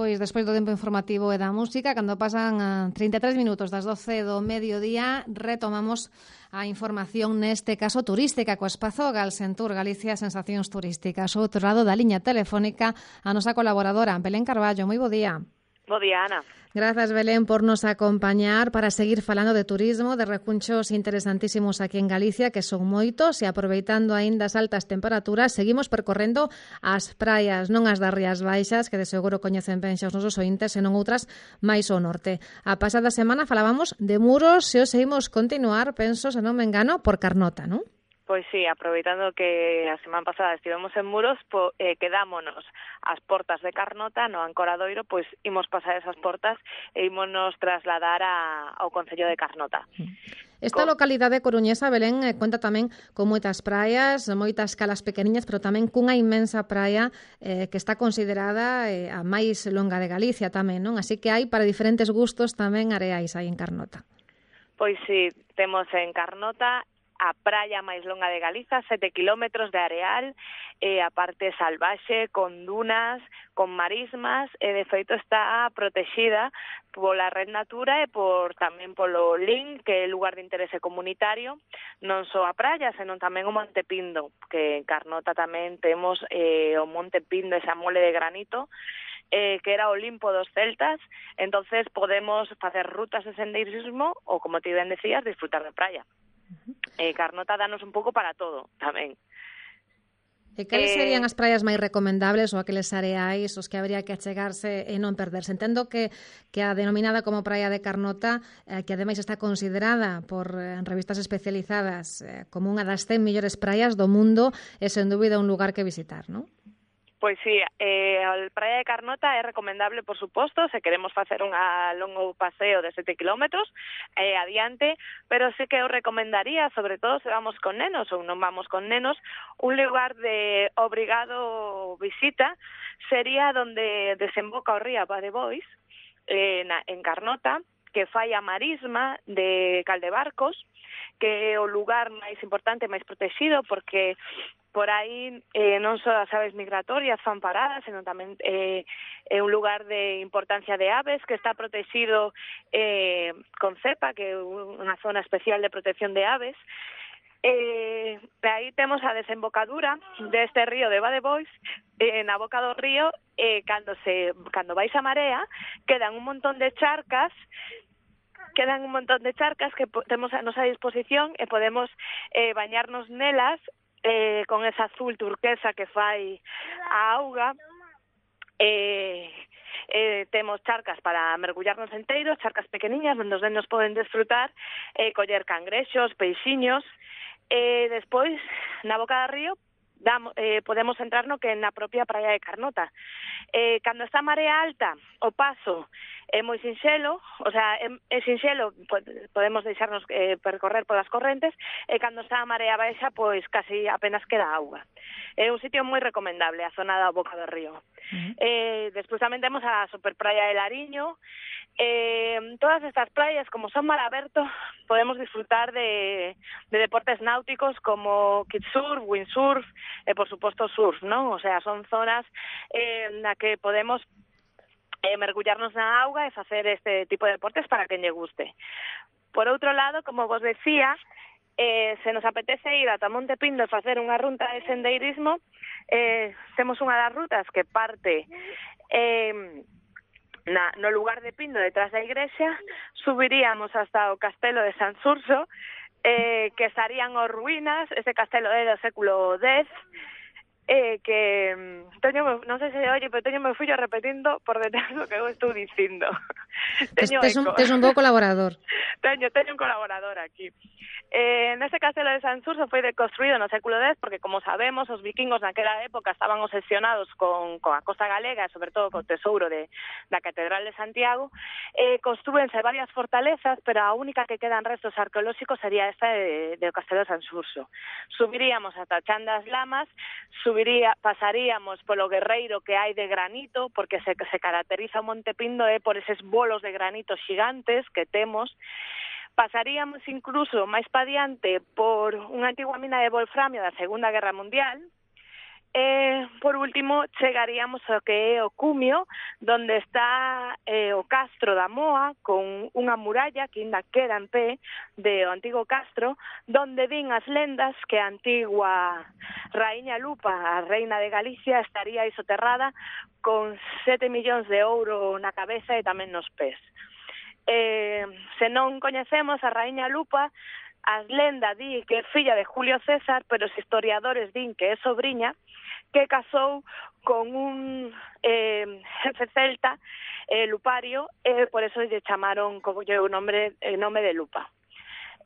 Pois despois do tempo informativo e da música, cando pasan 33 minutos das 12 do mediodía, retomamos a información neste caso turística co espazo Galsentur, Galicia Sensacións Turísticas. Ao outro lado da liña telefónica a nosa colaboradora Belén Carballo. Moi bo día. Bo día, Ana. Grazas, Belén, por nos acompañar para seguir falando de turismo, de recunchos interesantísimos aquí en Galicia, que son moitos, e aproveitando aínda as altas temperaturas, seguimos percorrendo as praias, non as das Rías Baixas, que de seguro coñecen ben xa os nosos ointes, senón outras máis ao norte. A pasada semana falábamos de Muros, e os seguimos continuar, penso, se non me engano, por Carnota, non? Pois sí, aproveitando que a semana pasada estivemos en Muros, quedámonos ás portas de Carnota, no Ancoradoiro, pois imos pasar esas portas e ímonos trasladar ao Concello de Carnota. Esta localidade coruñesa, Belén, conta tamén con moitas praias, moitas calas pequeniñas, pero tamén cunha inmensa praia que está considerada a máis longa de Galicia tamén, non? Así que hai para diferentes gustos tamén areais aí en Carnota. Pois sí, temos en Carnota a praia máis longa de Galiza, 7 kilómetros de areal, a parte salvaxe, con dunas, con marismas, e de feito está protexida pola Red Natura e tamén polo LIN, que é lugar de interese comunitario, non só a praia, senón tamén o Monte Pindo, que en Carnota tamén temos o Monte Pindo, esa mole de granito, que era o Olimpo dos celtas, entonces podemos facer rutas de sendeirismo ou, como ti ben decías, disfrutar de praia. Carnota danos un pouco para todo, tamén. E cales serían as praias máis recomendables ou aqueles areais os que habría que achegarse e non perderse? Entendo que a denominada como Praia de Carnota, que ademais está considerada por revistas especializadas como unha das 100 mellores praias do mundo, é sen dúbida un lugar que visitar, non? Pois sí, a Praia de Carnota é recomendable, por suposto, se queremos facer un longo paseo de 7 kilómetros adiante, pero sí que eu recomendaría, sobre todo se vamos con nenos ou non vamos con nenos, un lugar de obrigado visita sería donde desemboca o río Badebois, en Carnota, que fai a marisma de Caldebarcos, que é o lugar máis importante, máis protegido, porque por aí non só as aves migratorias fan paradas, senón tamén é un lugar de importancia de aves que está protegido con CEPA, que é unha zona especial de protección de aves. Aí temos a desembocadura deste río de Badebois, na boca do río, cando vais a marea, quedan un montón de charcas que temos a nosa disposición e podemos bañarnos nelas con esa azul turquesa que fai a auga. Temos charcas para mergullarnos enteiros, charcas pequeniñas onde os nenos poden desfrutar, coller cangrexos, peixiños. Despois, na boca do río, podemos entrar no que é na propia Praia de Carnota. Cando está a marea alta, o paso é moi sinxelo, o sea, é sinxelo, podemos deixarnos percorrer polas correntes, e cando está a marea baixa, pois casi apenas queda auga. É un sitio moi recomendable, a zona da boca do río. Despois tamén temos a Superpraia de Lariño. Todas estas praias, como son mar aberto, podemos disfrutar de deportes náuticos como kitesurf, windsurf e, por suposto, surf, non? O sea, son zonas na que podemos mergullarnos na auga e facer este tipo de deportes para quen lle guste. Por outro lado, como vos decía, se nos apetece ir ata Monte Pindo e facer unha ruta de sendeirismo, temos unha das rutas que parte no lugar de Pindo, detrás da igrexa, subiríamos hasta o castelo de Sanxurxo, que estarían as ruínas. Ese castelo é do século X, que non sei se oye, pero teño meu fillo repetindo por detrás o que eu estou dicindo. Tes un bo colaborador. Teño un colaborador aquí. Nese castelo de Sanxurxo foi construído no século X porque, como sabemos, os vikingos naquela época estaban obsesionados con a costa galega e, sobre todo, co tesouro da Catedral de Santiago. Construense varias fortalezas, pero a única que quedan restos arqueolóxicos sería esta do castelo de Sanxurxo. Subiríamos ata Chan das Lamas, pasaríamos polo guerreiro que hai de granito, porque se caracteriza o Monte Pindo por eses bolos de granito xigantes que temos. Pasaríamos incluso máis pa diante por unha antigua mina de wolframio da Segunda Guerra Mundial, Por último, chegaríamos ao que é o Cumio, donde está o Castro da Moa, con unha muralla que ainda queda en pé do antigo castro, donde din as lendas que a antigua raíña Lupa, a reina de Galicia, estaría aí soterrada con 7 millóns de ouro na cabeza e tamén nos pés. Se non coñecemos a raíña Lupa, as lendas di que é filla de Julio César, pero os historiadores din que é sobriña, que casou con un jefe celta, Lupario, por eso lle chamaron como o nome de Lupa.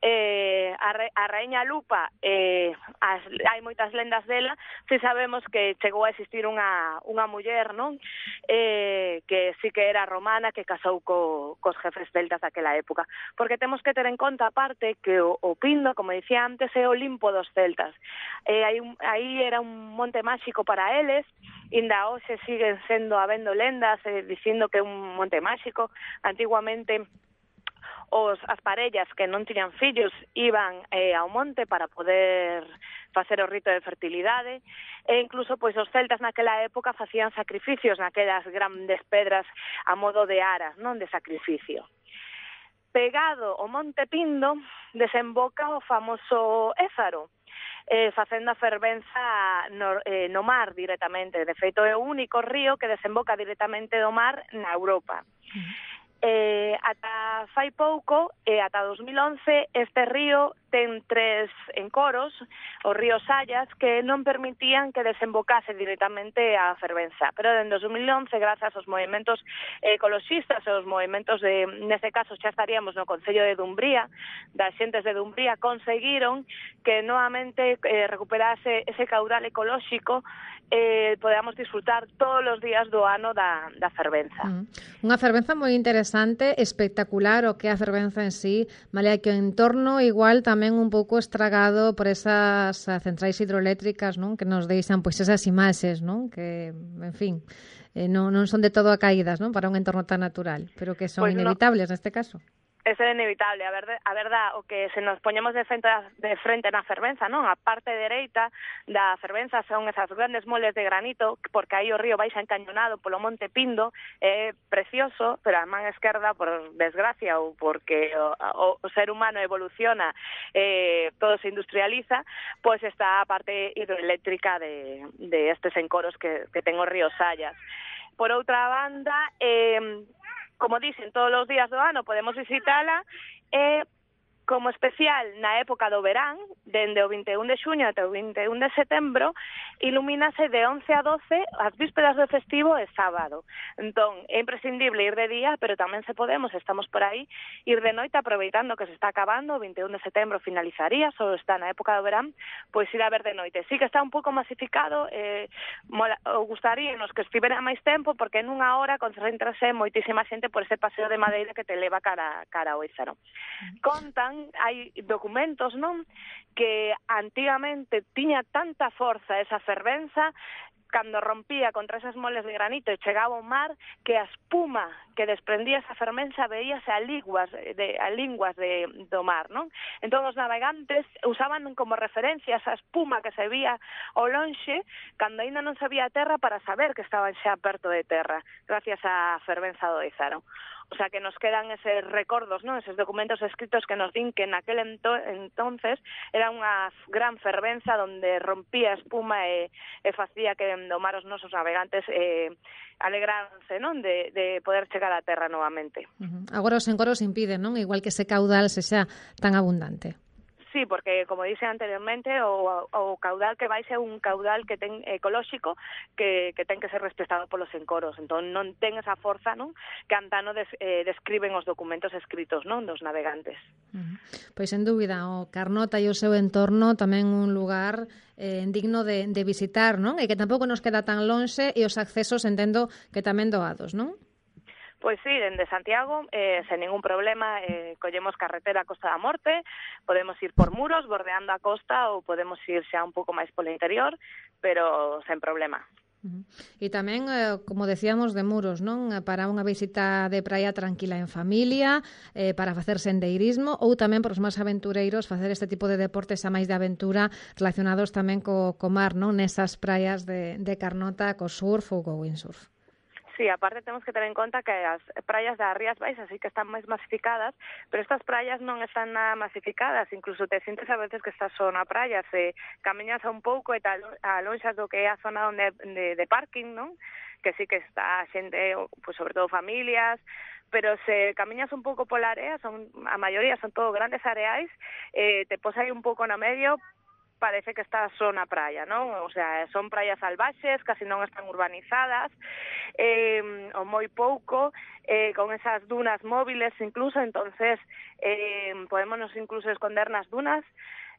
A raíña Lupa, hai moitas lendas dela, si sabemos que chegou a existir unha muller, non? Que sí que era romana, que casou cos jefes celtas daquela época, porque temos que ter en conta aparte que o Pindo, como dicía antes, é o Olimpo dos celtas. Aí era un monte máxico para eles, inda hoxe siguen habendo lendas dicindo que é un monte máxico. Antiguamente as parellas que non tiñan fillos iban ao monte para poder facer o rito de fertilidade, e incluso pois os celtas naquela época facían sacrificios naquelas grandes pedras a modo de aras, non, de sacrificio. Pegado ao Monte Pindo desemboca o famoso Ézaro, facendo a fervenza no mar directamente. De feito, é o único río que desemboca directamente do mar na Europa. Ata fai pouco, ata 2011, este río ten 3 encoros, os ríos Sayas, que non permitían que desembocase directamente a fervenza. Pero dende 2011, grazas aos movimentos ecoloxistas e aos movimentos neste caso xa estaríamos no Concello de Dumbría, das xentes de Dumbría, conseguiron que novamente recuperase ese caudal ecolóxico, podamos disfrutar todos os días do ano da fervenza. Unha fervenza moi interesante, espectacular o que é a fervenza en sí, malia que o entorno igual tamén un pouco estragado por esas centrais hidroeléctricas, non? Que nos deixan pois esas imaxes, non? Que, en fin, non son de todo acaídas, non? Para un entorno tan natural, pero que son inevitables neste caso. Eso é inevitable, a verdad, o que se nos poñemos de frente na fervenza, non? A parte dereita da fervenza son esas grandes moles de granito, porque aí o río baixa encañonado polo Monte Pindo, é precioso, pero a man esquerda, por desgracia, ou porque o ser humano evoluciona, todo se industrializa, pois está a parte hidroeléctrica de estes encoros que ten o río Sayas. Por outra banda, como dicen, todos os días do ano podemos visitala, como especial na época do verán, dende o 21 de xuño até o 21 de setembro, ilumínase de 11 a 12 as vísperas do festivo e sábado. Entón, é imprescindible ir de día, pero tamén se podemos, estamos por aí, ir de noite aproveitando que se está acabando, o 21 de setembro finalizaría, só está na época do verán, pois ir a ver de noite. Sí que está un pouco masificado, gustaríanos que estivera máis tempo, porque nunha hora concéntrase moitísima xente por ese paseo de madeira que te leva cara ao Ézaro. Contan, hai documentos, non, que antigamente tiña tanta forza esa fervenza, cando rompía contra esas moles de granito e chegaba ao mar, que a espuma que desprendía esa fervenza veíase a linguas do mar, non? Entón os navegantes usaban como referencia esa espuma que se vía ao lonxe cando aínda non se vía a terra, para saber que estaban xa perto de terra, gracias á fervenza do Ézaro. O sea, que nos quedan eses recordos, ¿no? Eses documentos escritos que nos din que naquel entonces era unha gran fervenza onde rompía a espuma e facía que do mar os nosos navegantes alegráronse, non? De poder chegar á terra novamente. Agora os encoros impiden, non? Igual que ese caudal sexa tan abundante. Sí, porque, como dixe anteriormente, o caudal que vai ser un caudal que ten ecolóxico que ten que ser respetado polos encoros. Entón, non ten esa forza, non, que antano describen os documentos escritos, non, dos navegantes. Pois, sen dúbida, o Carnota e o seu entorno tamén un lugar digno de visitar, non? E que tampouco nos queda tan lonxe, e os accesos entendo que tamén doados, non? Pois sí, dende Santiago, sen ningún problema, collemos carretera a Costa da Morte, podemos ir por Muros, bordeando a costa, ou podemos ir xa un pouco máis polo interior, pero sen problema. E tamén, como decíamos, de Muros, non? Para unha visita de praia tranquila en familia, para facer sendeirismo ou tamén para os máis aventureiros facer este tipo de deportes a máis de aventura relacionados tamén co mar, non? Nesas praias de Carnota, co surf ou co windsurf. Sí, aparte temos que ter en conta que as praias das Rías Baixas sí que están máis masificadas, pero estas praias non están nada masificadas, incluso te sintes a veces que estás só na praia, se camiñas a un pouco e tal, a lonxas do que é a zona de parking, non? Que sí que está a xente, pues sobre todo familias, pero se camiñas un pouco pola area, a maioría son todo grandes areais, te pos aí un pouco no medio, parece que está só na praia, non? O sea, son praias salvaxes, casi non están urbanizadas, ou moi pouco, con esas dunas móviles incluso, entonces podémonos incluso esconder nas dunas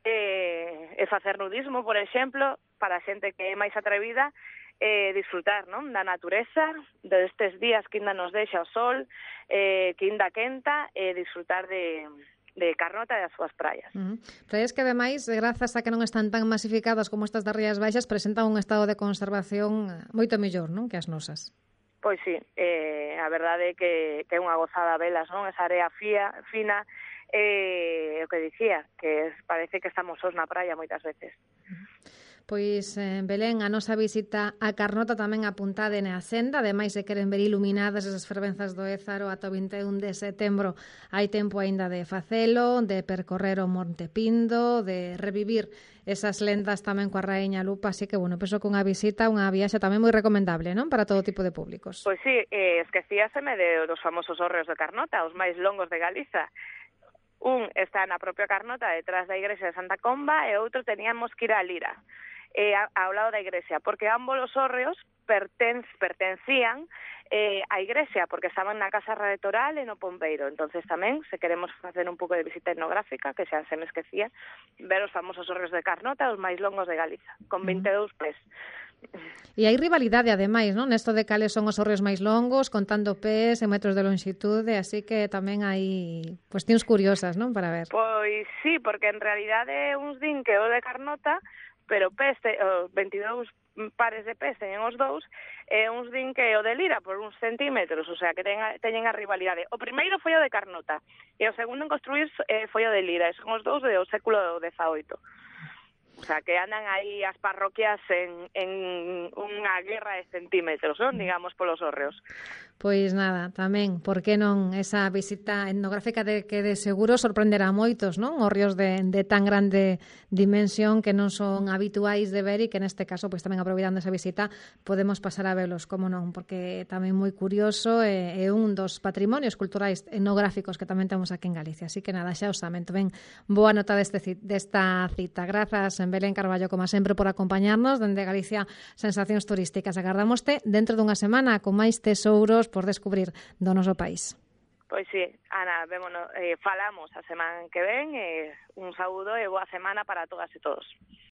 e facer nudismo, por exemplo, para a xente que é máis atrevida, disfrutar, non? Da natureza, destes días que ainda nos deixa o sol, que ainda quenta, disfrutar de Carnota e das súas praias. Praias que, ademais, grazas a que non están tan masificadas como estas das Rías Baixas, presentan un estado de conservación moito mellor, non? Que as nosas. Pois sí, a verdade é que é unha gozada velas, non? Esa area fina, o que dicía, que parece que estamos sós na praia moitas veces. Pois, Belén, a nosa visita a Carnota tamén apuntada na senda, ademais se queren ver iluminadas esas fervenzas do Ézaro ata o 21 de setembro. Hai tempo aínda de facelo, de percorrer o Monte Pindo, de revivir esas lendas tamén coa Raíña Lupa, así que, bueno, penso que unha visita, unha viaxe tamén moi recomendable, non? Para todo tipo de públicos. Pois sí, esquecíaseme dos famosos hórreos de Carnota, os máis longos de Galiza. Un está na propia Carnota, detrás da igrexa de Santa Comba, e outro teníamos que ir a Lira, ao lado da igrexa, porque ambos os hórreos pertencían á igrexa, porque estaban na Casa Retoral e no Pombeiro. Entonces tamén, se queremos facer un pouco de visita etnográfica, que xa se me esquecía, ver os famosos hórreos de Carnota, os máis longos de Galiza, con 22 pés. E hai rivalidade, ademais, non? Nesto de cales son os hórreos máis longos, contando pés e metros de longitude, así que tamén hai cuestións curiosas, non? Para ver. Pois sí, porque en realidade uns din que o de Carnota, pero pés, 22 pares de pés teñen os dous, e uns din que o de Lira por uns centímetros, o sea, que teñen a rivalidade. O primeiro foi o de Carnota, e o segundo en construir foi o de Lira, e son os dous do século XVIII. O sea, que andan aí as parroquias en unha guerra de centímetros, non? Digamos, polos hórreos. Pois nada, tamén, por que non esa visita etnográfica que de seguro sorprenderá a moitos, non? Hórreos de tan grande dimensión que non son habituais de ver e que neste caso, pois tamén aproveitando esa visita, podemos pasar a velos, como non, porque tamén moi curioso e un dos patrimonios culturais etnográficos que tamén temos aquí en Galicia. Así que nada, xa os saben, tamén boa nota desta cita. Grazas, Belén Carballo, como sempre, por acompañarnos dende Galicia Sensacións Turísticas. Agardámoste dentro dunha semana con máis tesouros por descubrir do noso país. Pois sí, Ana, falamos a semana que ven, un saúdo e boa semana para todas e todos.